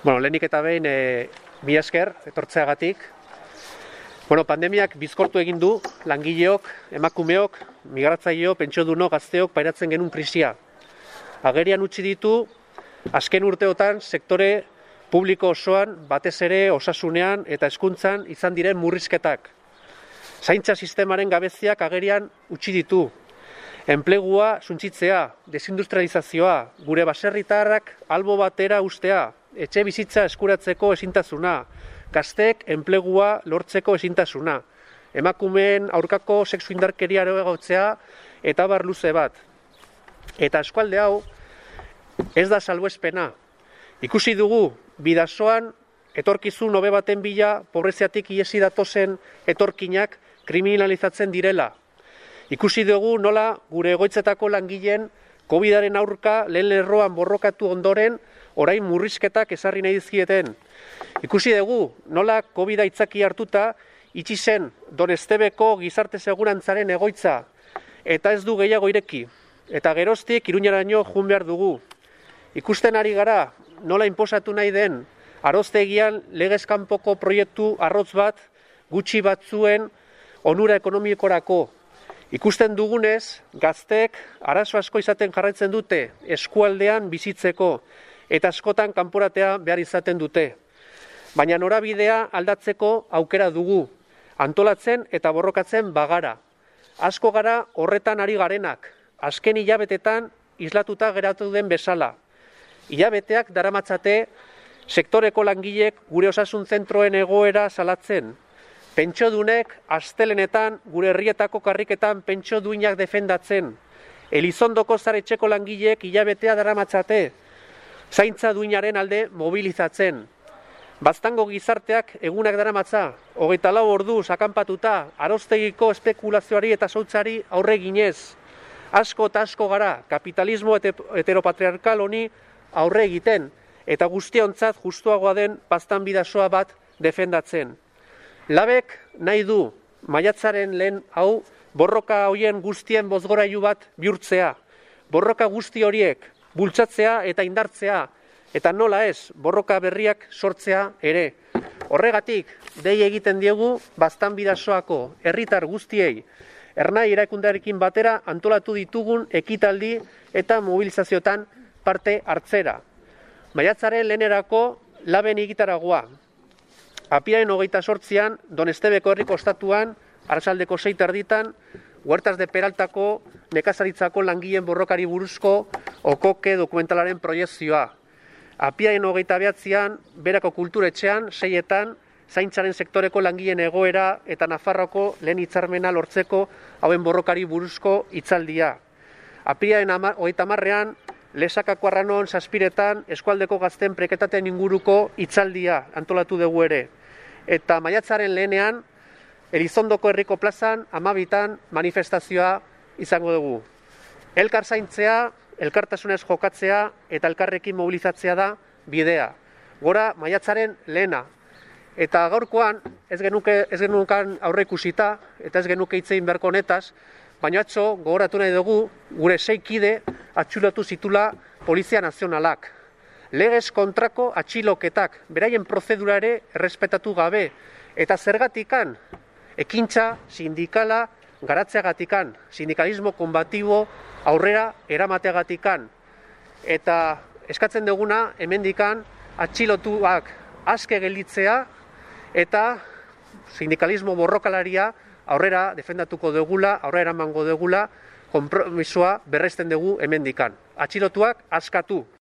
Lehenik eta behin, mila esker, etortzeagatik. Pandemiak bizkortu egin du, langileok, emakumeok, migratzaileo, pentsioduno, gazteok pairatzen genuen krisia. Agerian utzi ditu, azken urteotan, sektore publiko osoan, batez ere osasunean eta hezkuntzan izan diren murrizketak. Zaintza sistemaren gabeziak agerian utzi ditu. Enplegua suntsitzea, desindustrializazioa, gure baserritarrak albo batera ustea, etxe bizitza eskuratzeko ezintasuna, gazteek enplegua lortzeko ezintasuna, emakumeen aurkako sexu indarkeria areagotzea eta bar luze bat. Eta eskualde hau ez da salbuespena. Ikusi dugu bidasoan etorkizun hobe baten bila pobreziatik ihesi datozen etorkinak kriminalizatzen direla. Ikusi dugu nola gure egoitzetako langileen COVID-aren aurka lehen lerroan borrokatu ondoren orain murrizketak ezarri nahi dizkieten. Ikusi dugu nola COVID-a aitzaki hartuta itxi zen Donestebeko gizarte segurantzaren egoitza eta ez du gehiago ireki. Eta geroztik Iruñaraino joan behar dugu. Ikusten ari gara nola inposatu nahi den aroztegian legez kanpoko proiektu arrotz bat gutxi batzuen onura ekonomikorako. Ikusten dugunez, gazteek arazo asko izaten jarraitzen dute eskualdean bizitzeko eta askotan kanporatea behar izaten dute. Baina norabidea aldatzeko aukera dugu, antolatzen eta borrokatzen bagara. Asko gara horretan ari garenak, azken hilabetetan islatuta geratu den bezala. Hilabeteak daramatzate sektoreko langileek gure osasun zentroen egoera salatzen. Pentsiodunek astelenetan gure herrietako karriketan pentsioduinak defendatzen. Elizondoko zaretxeko langileek hilabetea daramatzate. Zaintza duinaren alde mobilizatzen. Baztango gizarteak egunak daramatza, 24 orduz akanpatuta, aroztegiko espekulazioari eta zautzari aurre ginez. Asko eta asko gara, kapitalismo heteropatriarkal honi aurre egiten, eta guztiontzat justuagoa den baztan bidasoa bat defendatzen. Labek nahi du, maiatzaren lehen hau, borroka hoien guztien bozgorailu bat bihurtzea. Borroka guzti horiek bultzatzea eta indartzea, eta nola ez, borroka berriak sortzea ere. Horregatik, dei egiten diegu baztan bidasoako herritar guztiei, Ernai erakundearekin batera antolatu ditugun ekitaldi eta mobilizazioetan parte hartzera. Maiatzaren lehenerako Laben egitaragoa. Apiaren 28an, Donestebeko herriko ostatuan, arratsaldeko 6:30, Huertas de Peraltako nekazaritzako langileen borrokari buruzko okoke dokumentalaren proiekzioa. Apiaren 29an, Berako kulturetxean, 6etan, zaintzaren sektoreko langileen egoera eta Nafarroko lehen hitzarmena lortzeko hauen borrokari buruzko hitzaldia. Apiaren 30an, Lesakako Arranon 7etan, eskualdeko gazten preketatean inguruko hitzaldia antolatu dugu ere. Eta maiatzaren lehenean, Elizondoko herriko plazan 12tan manifestazioa izango dugu. Elkar zaintzea, elkartasunez jokatzea eta elkarrekin mobilizatzea da bidea. Gora maiatzaren lehena. Eta gaurkoan ez genukan aurre ikusita eta ez genuke hitz egin beharko honetaz, baina atzo gogoratu nahi dugu gure 6 kide atxilotu zitula Polizia Nazionalak. Legez kontrako atxiloketak, beraien prozedura ere errespetatu gabe. Eta zergatikan, ekintza sindikala garatzeagatikan, sindikalismo konbatibo aurrera eramateagatikan. Eta eskatzen duguna hemendikan atxilotuak aske gelditzea eta sindikalismo borrokalaria aurrera defendatuko dugula, aurrera eramango dugula, konpromisoa berresten dugu hemendikan. Atxilotuak askatu.